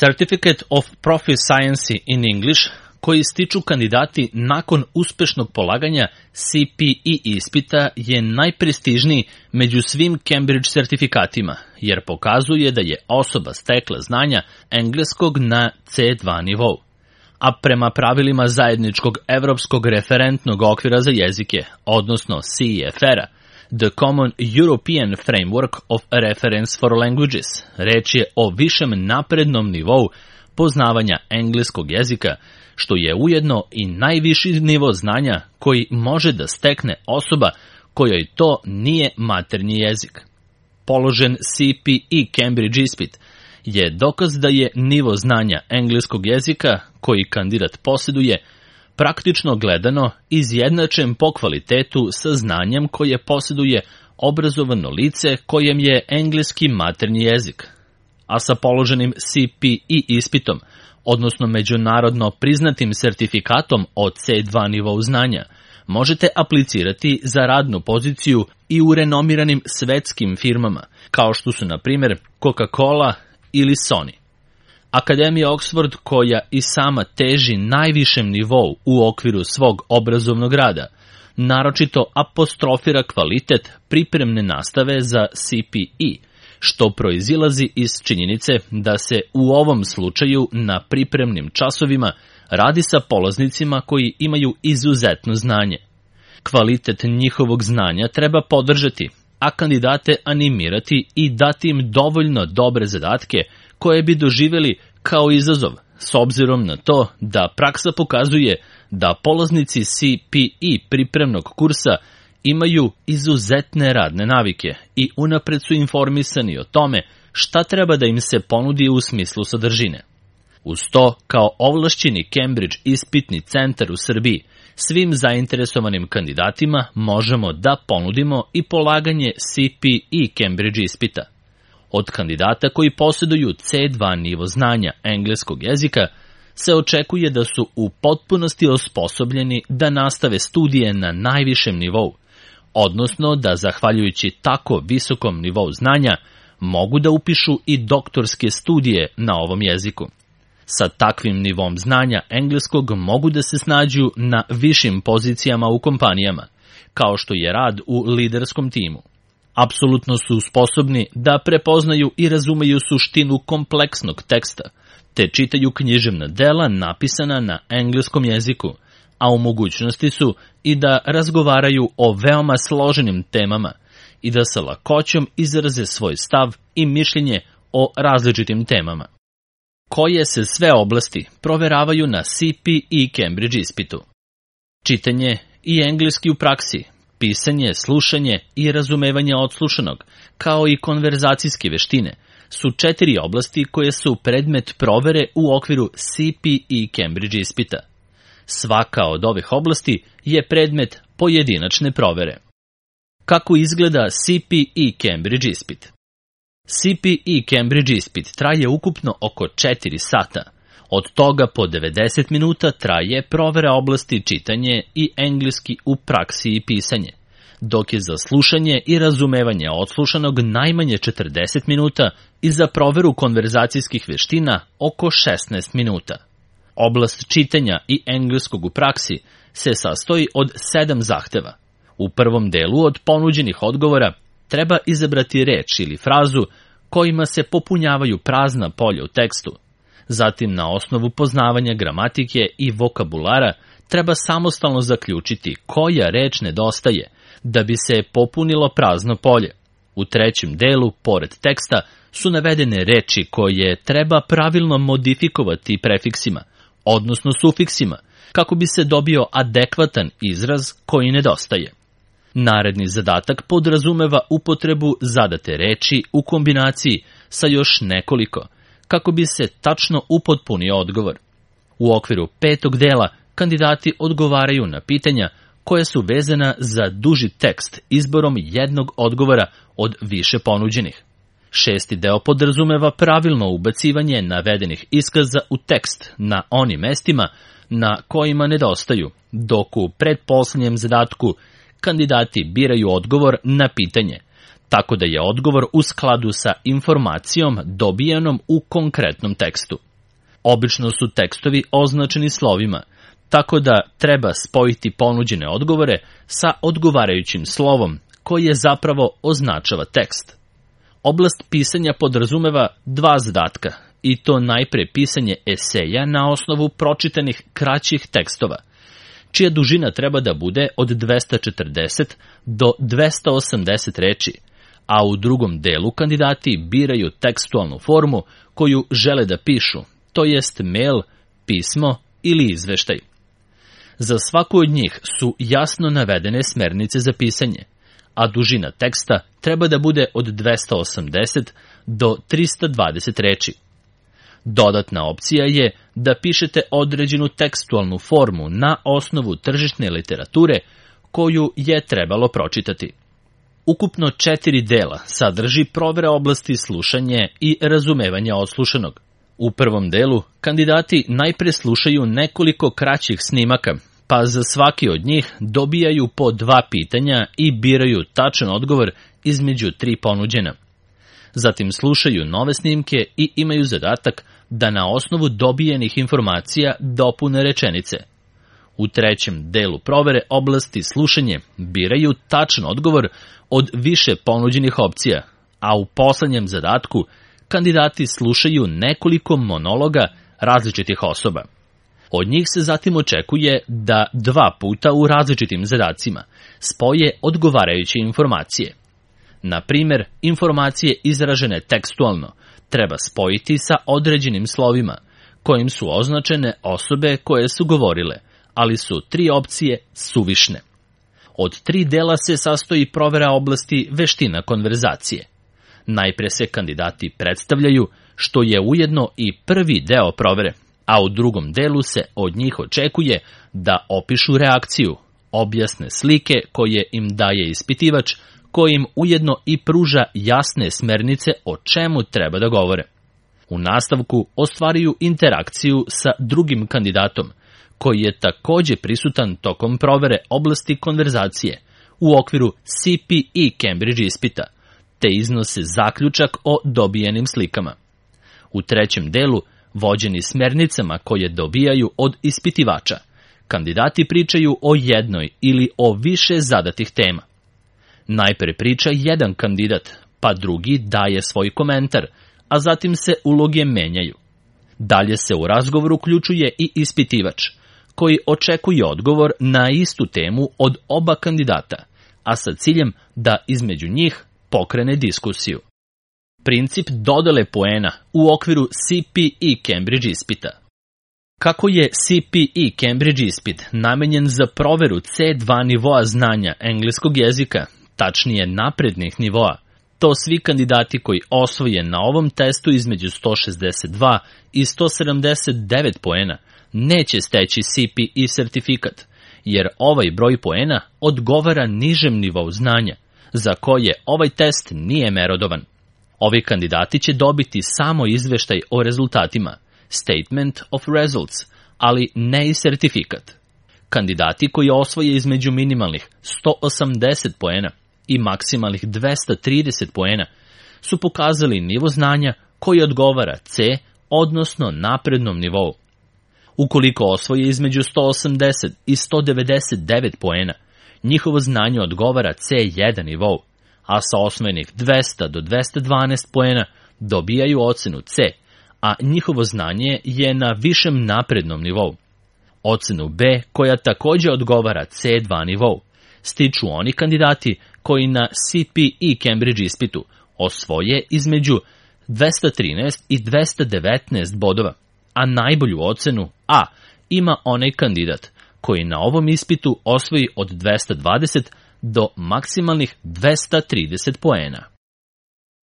Certificate of Proficiency in English, koji stiču kandidati nakon uspešnog polaganja CPE ispita, je najprestižniji među svim Cambridge sertifikatima, jer pokazuje da je osoba stekla znanja engleskog na C2 nivou. A prema pravilima zajedničkog evropskog referentnog okvira za jezike, odnosno CEFR-a, The Common European Framework of Reference for Languages, reč je o višem naprednom nivou poznavanja engleskog jezika, što je ujedno i najviši nivo znanja koji može da stekne osoba kojoj to nije maternji jezik. Položen CPE Cambridge ispit je dokaz da je nivo znanja engleskog jezika koji kandidat posjeduje praktično gledano izjednačen po kvalitetu sa znanjem koje posjeduje obrazovano lice kojem je engleski maternji jezik. A sa položenim CPE ispitom, odnosno međunarodno priznatim sertifikatom od C2 nivou znanja, možete aplicirati za radnu poziciju i u renomiranim svetskim firmama, kao što su, na primjer, Coca-Cola ili Sony. Akademija Oxford, koja i sama teži najvišem nivou u okviru svog obrazovnog rada, naročito apostrofira kvalitet pripremne nastave za CPE, što proizilazi iz činjenice da se u ovom slučaju na pripremnim časovima radi sa polaznicima koji imaju izuzetno znanje. Kvalitet njihovog znanja treba podržati, a kandidate animirati i dati im dovoljno dobre zadatke koje bi doživjeli kao izazov, s obzirom na to da praksa pokazuje da polaznici CPE pripremnog kursa imaju izuzetne radne navike i unapred su informisani o tome šta treba da im se ponudi u smislu sadržine. Uz to, kao ovlašćeni Cambridge ispitni centar u Srbiji, svim zainteresovanim kandidatima možemo da ponudimo i polaganje CPE Cambridge ispita. Od kandidata koji posjeduju C2 nivo znanja engleskog jezika se očekuje da su u potpunosti osposobljeni da nastave studije na najvišem nivou, odnosno da, zahvaljujući tako visokom nivou znanja, mogu da upišu i doktorske studije na ovom jeziku. Sa takvim nivom znanja engleskog mogu da se snađu na višim pozicijama u kompanijama, kao što je rad u liderskom timu. Apsolutno su sposobni da prepoznaju i razumeju suštinu kompleksnog teksta, te čitaju književna dela napisana na engleskom jeziku, a u mogućnosti su i da razgovaraju o veoma složenim temama i da sa lakoćom izraze svoj stav i mišljenje o različitim temama. Koje se sve oblasti proveravaju na CPE Cambridge ispitu? Čitanje i engleski u praksi, pisanje, slušanje i razumevanje odslušanog, kao i konverzacijske veštine, su 4 oblasti koje su predmet provere u okviru CPE Cambridge ispita. Svaka od ovih oblasti je predmet pojedinačne provere. Kako izgleda CPE Cambridge ispit? CPE Cambridge ispit traje ukupno oko 4 sata. Od toga po 90 minuta traje provera oblasti čitanje i engleski u praksi i pisanje, dok je za slušanje i razumevanje odslušanog najmanje 40 minuta i za proveru konverzacijskih veština oko 16 minuta. Oblast čitanja i engleskog u praksi se sastoji od 7 zahteva. U prvom delu od ponuđenih odgovora treba izabrati reč ili frazu kojima se popunjavaju prazna polja u tekstu. Zatim, na osnovu poznavanja gramatike i vokabulara, treba samostalno zaključiti koja reč nedostaje da bi se popunilo prazno polje. U trećem delu, pored teksta, su navedene reči koje treba pravilno modifikovati prefiksima, odnosno sufiksima, kako bi se dobio adekvatan izraz koji nedostaje. Naredni zadatak podrazumeva upotrebu zadate reči u kombinaciji sa još nekoliko, kako bi se tačno upotpunio odgovor. U okviru 5. dela kandidati odgovaraju na pitanja koja su vezana za duži tekst izborom jednog odgovora od više ponuđenih. 6. deo podrazumeva pravilno ubacivanje navedenih iskaza u tekst na onim mestima na kojima nedostaju, dok u pretposlednjem zadatku kandidati biraju odgovor na pitanje, tako da je odgovor u skladu sa informacijom dobijenom u konkretnom tekstu. Obično su tekstovi označeni slovima, tako da treba spojiti ponuđene odgovore sa odgovarajućim slovom, koji je zapravo označava tekst. Oblast pisanja podrazumeva dva zadatka, i to najpre pisanje eseja na osnovu pročitanih kraćih tekstova, čija dužina treba da bude od 240 do 280 reči, a u drugom delu kandidati biraju tekstualnu formu koju žele da pišu, to jest mail, pismo ili izveštaj. Za svaku od njih su jasno navedene smernice za pisanje, a dužina teksta treba da bude od 280 do 320 reči. Dodatna opcija je da pišete određenu tekstualnu formu na osnovu tržišne literature koju je trebalo pročitati. Ukupno 4 dela sadrži provera oblasti slušanje i razumevanja odslušanog. U prvom delu kandidati najpre slušaju nekoliko kraćih snimaka, pa za svaki od njih dobijaju po 2 pitanja i biraju tačan odgovor između 3 ponuđena. Zatim slušaju nove snimke i imaju zadatak da na osnovu dobijenih informacija dopune rečenice. U trećem delu provere oblasti slušanje biraju tačan odgovor od više ponuđenih opcija, a u poslednjem zadatku kandidati slušaju nekoliko monologa različitih osoba. Od njih se zatim očekuje da 2 puta u različitim zadacima spoje odgovarajuće informacije. Na primjer, informacije izražene tekstualno treba spojiti sa određenim slovima, kojim su označene osobe koje su govorile, ali su 3 opcije suvišne. Od 3 dela se sastoji provera oblasti veština konverzacije. Najpre se kandidati predstavljaju, što je ujedno i prvi deo provere, a u drugom delu se od njih očekuje da opišu reakciju, objasne slike koje im daje ispitivač, koji im ujedno i pruža jasne smernice o čemu treba da govore. U nastavku ostvaruju interakciju sa drugim kandidatom, koji je takođe prisutan tokom provere oblasti konverzacije u okviru CPE Cambridge ispita, te iznose zaključak o dobijenim slikama. U trećem delu, vođeni smernicama koje dobijaju od ispitivača, kandidati pričaju o jednoj ili o više zadatih tema. Najpre priča jedan kandidat, pa drugi daje svoj komentar, a zatim se uloge menjaju. Dalje se u razgovor uključuje i ispitivač, koji očekuje odgovor na istu temu od oba kandidata, a sa ciljem da između njih pokrene diskusiju. Princip dodele poena u okviru CPE Cambridge ispita. Kako je CPE Cambridge ispit namenjen za proveru C2 nivoa znanja engleskog jezika, tačnije naprednih nivoa, to svi kandidati koji osvoje na ovom testu između 162 i 179 poena neće steći CPE sertifikat, jer ovaj broj poena odgovara nižem nivou znanja, za koje ovaj test nije merodovan. Ovi kandidati će dobiti samo izveštaj o rezultatima, Statement of Results, ali ne i sertifikat. Kandidati koji osvoje između minimalnih 180 poena i maksimalnih 230 poena su pokazali nivo znanja koji odgovara C, odnosno naprednom nivou. Ukoliko osvoje između 180 i 199 poena, njihovo znanje odgovara C1 nivou, a sa osvojenih 200 do 212 poena dobijaju ocenu C, a njihovo znanje je na višem naprednom nivou. Ocenu B, koja takođe odgovara C2 nivou, stiču oni kandidati koji na CPE Cambridge ispitu osvoje između 213 i 219 bodova, a najbolju ocenu A ima onaj kandidat koji na ovom ispitu osvoji od 220 do maksimalnih 230 poena.